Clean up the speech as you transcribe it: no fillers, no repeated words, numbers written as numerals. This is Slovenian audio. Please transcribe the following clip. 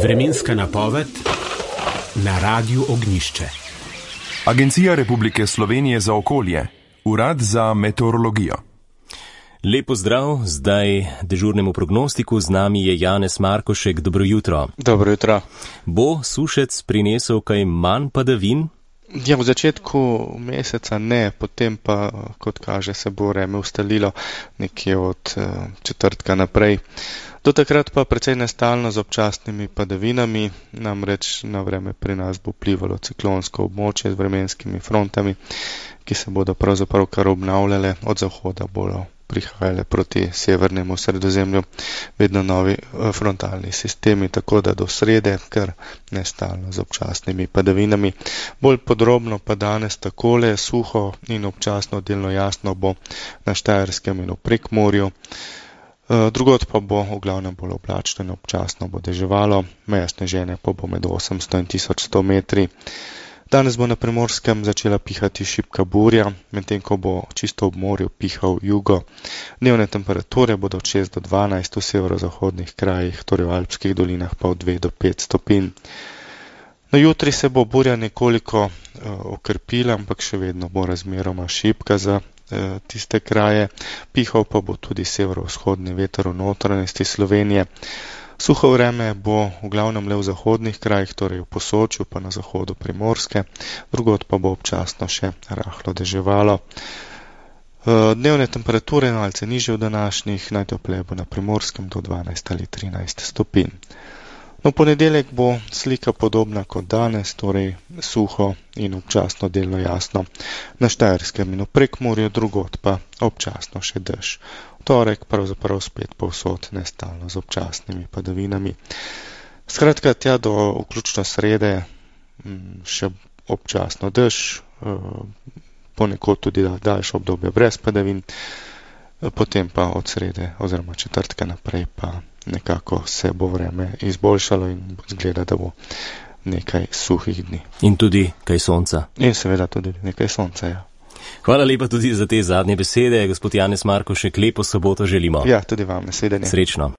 Vremenska napoved na Radiu Ognjišče. Agencija Republike Slovenije za okolje, Urad za meteorologijo. Lepo zdrav, zdaj dežurnemu prognostiku, z nami je Janez Markošek, dobro jutro. Dobro jutro. Bo sušec prinesel kaj manj padavin? Ja, v začetku meseca ne, potem pa, kot kaže, se bo vreme ustalilo nekje od četrtka naprej. Do takrat pa precej nestalno z občasnimi padavinami, namreč na vreme pri nas bo vplivalo ciklonsko območje z vremenskimi frontami, ki se bodo pravzaprav kar obnavljale, od zahoda bodo prihajale proti severnemu Sredozemlju vedno novi frontalni sistemi, tako da do srede kar nestalno z občasnimi padavinami. Bolj podrobno pa danes takole, suho in občasno delno jasno bo na Štajerskem in v Prekmurju. Drugod pa bo v glavnem bolj oblačno in občasno bo deževalo, meja sneženja pa bo med 800 in 1100 metri. Danes bo na Primorskem začela pihati šibka burja, medtem ko bo čisto ob morju pihal jugo. Dnevne temperature bodo od 6 do 12 v severozahodnih krajih, torej v alpskih dolinah pa od 2 do 5 stopinj. Na jutri se bo burja nekoliko okrepila, ampak še vedno bo razmeroma šibka za tiste kraje. Pihal pa bo tudi severovzhodni veter v notranjosti Slovenije. Suho vreme bo v glavnem le v zahodnih krajih, torej v Posočju pa na zahodu Primorske, drugod pa bo občasno še rahlo deževalo. Dnevne temperature malce nižje od današnjih, najtopleje bo na Primorskem do 12 ali 13 stopinj. No, ponedeljek bo slika podobna kot danes, torej suho in občasno delno jasno na Štajerskem in v Prekmurju, drugod pa občasno še dež. Torek pravzaprav spet povsod nestalno z občasnimi padavinami. Skratka, tja do vključno srede še občasno dež, ponekod tudi daljše obdobje brez padavin, potem pa od srede oziroma četrtka naprej pa nekako se bo vreme izboljšalo in zgleda, da bo nekaj suhih dni. In tudi kaj sonca. In seveda tudi nekaj sonca, ja. Hvala lepa tudi za te zadnje besede, gospod Janez Markošek, lepo soboto želimo. Ja, tudi vam, nasvidenje. Srečno.